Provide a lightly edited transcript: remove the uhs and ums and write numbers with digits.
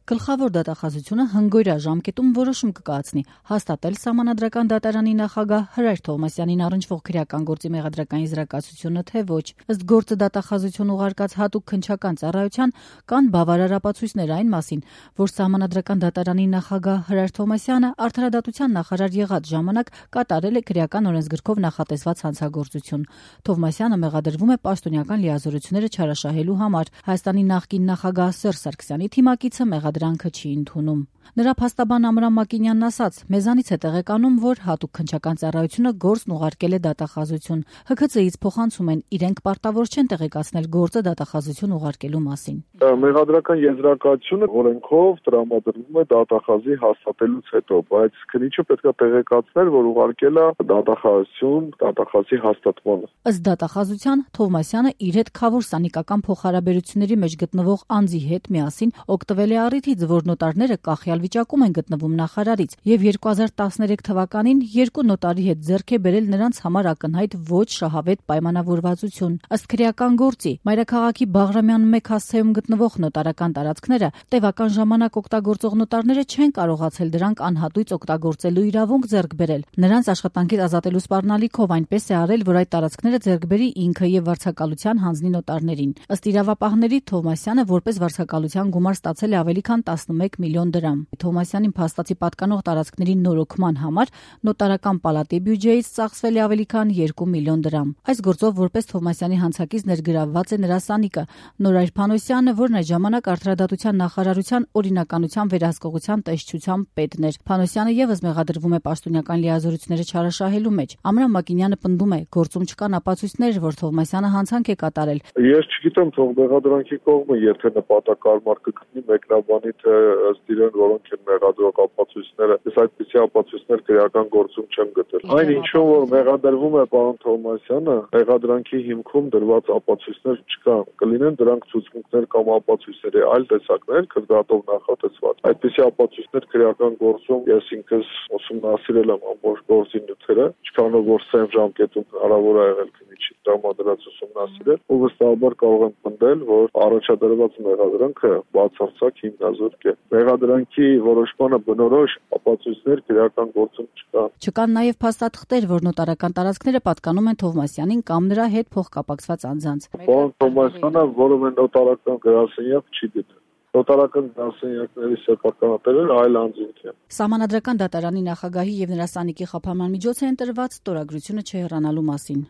Գլխավոր դատախազությունը հնգօրյա ժամկետում որոշում կկայացնի հաստատել Սահմանադրական դատարանի նախագահ Հրայր Թովմասյանին առնչվող քրեական գործի մեղադրական եզրակացությունը, թե ոչ։ Ըստ գործը դատախազություն ուղարկած հատուկ քննչական ծառայության կան բավարար ապացույցներ այն մասին, որ Սահմանադրական դատարանի նախագահ Հրայր Թովմասյանը արդարադատության նախարար եղած ժամանակ կատարել է քրեական օրենսգրքով նախատեսված հանցագործություն։ Թովմասյանը մեղադրվում է պաշտոնյական լիազորությունները չարաշահելու համար։ Հայաստանի նախկին նախագահ Սերժ Սարգսյանի թիմակիցը մեղադրանքը չի ընդունում։ Նրա փաստաբան Ամրան Մակինյանն ասաց. «Մեզանից է տեղեկանում, որ հատուկ քննչական ծառայությունը գործն ուղարկել է դատախազություն։ ՀՔԾ-ից փոխանցում են, իրենք պարտավոր չեն տեղեկացնել գործը դատախազություն ուղարկելու մասին»։ Մեղադրական եզրակացությունը օրենքով տրամադրվում է դատախազի հաստատելուց հետո, բայց քննիչը պետք է տեղեկացնել, որ ուղարկել է դատախազություն դատախազի հաստատմանը։ Ըստ դատախազության Թովմասյանը իր հետ քավոր սանիկական փոխհարաբերությունների մեջ գտնվող անձի հետ միասին օգտվել է առիթից, որ նոտարները կախյալ վիճակում են գտնվում նախարարից, եւ 2013 թվականին երկու նոտարի հետ ձեռք է բերել նրանց համար ակնհայտ ոչ շահավետ պայմանավորվածություն։ Ըստ քրեական գործի, Մայրաքաղաքի Բաղրամյան 1 հասցեում գտնվող նոտարական տարածքները տևական ժամանակ օգտագործող նոտարները չեն կարողացել դրանք անհատույց օգտագործելու իրավունք ձեռք բերել։ Նրանց աշխատանքից ազատելու սպառնալիքով այնպես է արել, որ այդ տարածքները ձեռք բերի ինքը եւ վարձակալության հանձնի նոտարներին։ Ըստ իրավապահների, Թովմասյանը որպես վարձակալության գումար ստացել է ավելի քան 11 միլիոն դրամ։ Թովմասյանին փաստացի պատկանող տարածքների նորոգման համար նոտարական պալատի բյուջեից ծախսվել է ավելի քան 2 միլիոն դրամ։ Այս գործով որպես Թովմասյանի հանցակից ներգրավված է նրա սանիկը Նորայր Փանոսյանը, որն այդ ժամանակ արդարադատության նախարարության օրինականության վերահսկողության տեսչության պետն էր։ Փանոսյանը եւս մեղադրվում է պաշտոնյական լիազորությունները չարաշահելու մեջ։ Ամրան Մակինյանը պնդում է, գործում չկան ապացույցներ, որ Թովմասյանը հանցանք է կատարել։ Ես չգիտեմ, թող մեղադրանքի կողմը եթե նպատակարար կգտնի մեկնաբանի, թե ըստ իրեն որոնք են մեղադրող ապացույցները, ես այդպիսի ապացույցներ քրեական գործում չեմ գտել։ Այն ինչով որ մեղադրվում է պարոն Թովմասյանը, մեղադրանքի հիմքում դրված ապացույցներ չկան։ Կլինեն դրանք ցուցմունքներ կամ ապացույցների այլ տեսակներ, քրդատով նախատեսված։ Այդպիսի ապացույցներ քրեական գործում ես ինքս ուսումնասիրել եմ ամբողջ գործի նյութերը, չքանով որ սև ժամկետում հնարավոր է եղել քննիչի տրամադրած ուսումնասիրել, ու վստահաբար կարող եմ պնդել, որ առաջադրված մեղադրանքը բացարձակ հիմնազուրկ է։ Մեղադրանքի որոշմանը բնորոշ ապացույցներ քրեական գործում չկան։ Չկան նաև փաստաթղթեր, որ նոտարական տարածքները պատկանում են Թովմասյանին կամ նրա հետ փոխկապակցված անձանց։ Պարոն Թովմասյանը որևէ նոտարական գրասենյակ չի դիտել։ Նոտարական գրասենյակների սեփականատերերը այլ անձինք են։ Սահմանադրական դատարանի նախագահի եւ նրա սանիկի խափանման միջոց է ընտրված ստորագրությունը չհեռանալու մասին։